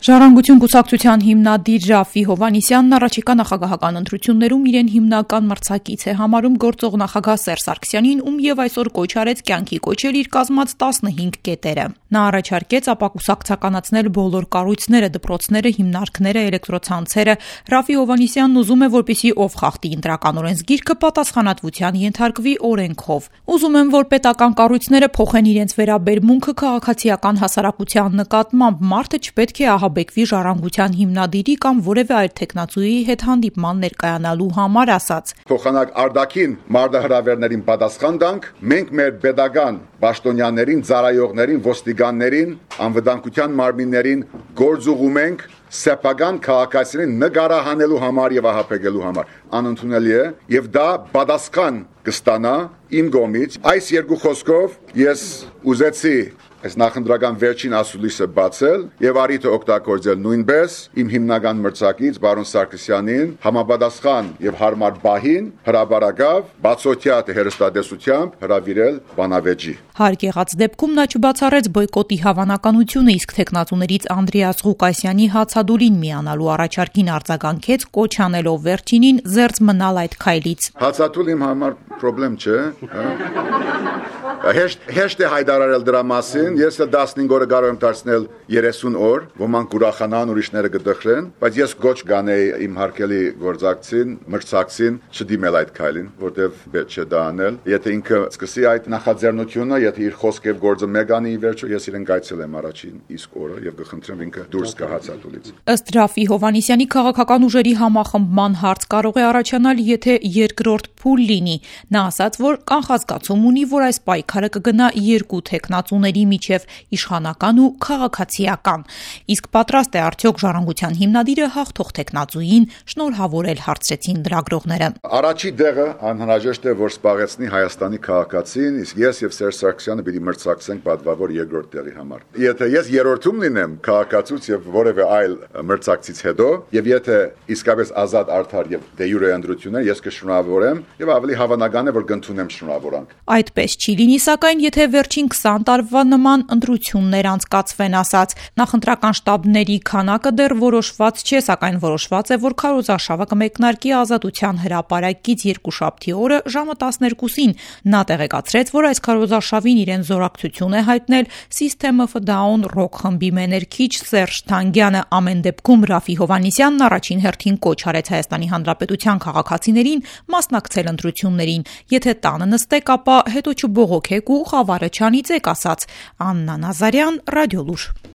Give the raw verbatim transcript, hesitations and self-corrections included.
Ժառանգություն կուսակցության հիմնադիր Ռաֆֆի Հովհաննիսյանն առաջիկա նախագահական ընտրություններում իրեն հիմնական մրցակից է համարում գործող նախագահ Սերժ Սարգսյանին, ում եւ այսօր կոչ արեց կյանքի կոչել իր կազմած տասնհինգ կետերը։ Նա առաջարկեց ապակուսակցականացնել բոլոր կառույցները, դպրոցները, հիմնարկները, էլեկտրոցանցերը։ Ռաֆֆի Հովհաննիսյանն ուզում է, որպեսզի ով խախտի ընտրական օրենսգիրքը, պատասխանատվության ենթարկվի օրենքով։ Ուզում եմ, որ պետական կառույցները փոխեն իրենց վերաբերմունքը քաղաքացիական հասարակության նկատմամբ, մարդը չպետք է ահաբեկվի ժառանգության հիմնադիրի կամ որևէ այլ թեկնածուի հետ հանդիպման ներկայանալու համար, ասաց. Փոխանակ արդակին մարդահրավերներին պատասխան տանք, մենք մեր pedagogan պաշտոնյաներին, ծառայողներին, ոստիկաններին, անվտանգության մարմիններին գործուղում ենք սեփական քաղաքացիներին նկարահանելու համար եւ ահաբեկելու համար։ Անընդունելի է եւ դա պատասխան կստանա իմ կողմից։ Այս երկու խոսքով ես ուզեցի այս նախընտրական վերջին ասուլիսը բացել եւ արիթը օգտագործել նույնպես իմ հիմնական մրցակից բարոն Սարգսյանին համապատասխան եւ հարմար բահին հրաբարակավ բացօթյա հերոստատեսությամբ հրավիրել բանավեճի։ Հարկ եղած դեպքում նա չբացառեց բոյկոտի հավանականությունը, իսկ թեկնածուներից Անդրեաս Ղուկասյանի հացադուլին միանալու առաջարկին արձագանքեց, կոչ անելով վերջինին զերծ մնալ այդ քայլից։ Հացադուլ իմ համար խնդրեմ չէ։ Հեշտ հեշտ է հայտարարել դրա մասին, ես տասնհինգ օրը կարող եմ դարձնել երեսուն օր, ոմանք ուրախանան, ուրիշները կդխրեն, բայց ես գոչ կանեի իմ հարգելի գործակցին, մրցակցին չդիմել այդ քայլին, որտեվ պետք չէ դա անել։ Եթե ինքը սկսի այդ նախաձեռնությունը, եթե իր խոսքով գործը մեկ անի ի վերջո, ես իրեն գայցել եմ առաջին իսկ օրը եւ կխնդրեմ ինքը դուրս գա հացադուլից։ Ըստ Ռաֆֆի Հովհաննիսյանի քաղաքական ուժերի համախմբման հարց կարող է առաջանալ, եթե երկրորդ փուլ լինի։ Նա ասաց, որ կանխազգացում ունի, որ այս պայքարը կգնա երկու թեկնածուների միջև՝ իշխանական ու քաղաքացիական։ Իսկ պատրաստ է արդյոք ժառանգության հիմնադիրը հաղթող թեկնածուին շնորհավորել, հարցրեցին լրագրողները։ Առաջի դեղը անհրաժեշտ է, որ սպառեցնի Հայաստանի քաղաքացին, իսկ ես եւ Սերժ Սարգսյանը պիտի մրցակցենք պատվավոր երկրորդ տեղի համար։ Եթե ես երրորդում լինեմ քաղաքացուց եւ որևէ այլ մրցակցից հետո, եւ եթե իսկապես ազատ արդար եւ դե յուրե ընտրություն է, ես կշնորհավորեմ եւ ավելի հավանական է, որ կընդունեմ շնորհավորանք։ Այդպես չի լինի, սակայն եթե վերջին քսան տարվա նման ընտրություններ անցկացվեն, ասաց, նախընտրական շտաբների քանակը դեռ որոշված չէ, սակայն որոշված է, որ քարոզարշավը կմեկնարկի Ազատության հրապարակից երկուշաբթի օրը ժամը տասներկուսին։ Նա տեղեկացրեց, որ այս քարոզարշավին իրեն զորակցություն է հայտնել System of a Down ռոք խմբի մեներքիչ Սերժ Թանգյանը։ Ամեն դեպքում Ռաֆֆի Հովհաննիսյանն առաջին հերթին կոչ արեց Հայաստանի Հանրապետության քաղաքացիներին մասնակցել ընտրություններին։ Եթե տանը նստեք, ապա հետո չբողոքեք ու խավարը չանիծեք, ասաց Աննա Նազարյան, Ռադիոլուր։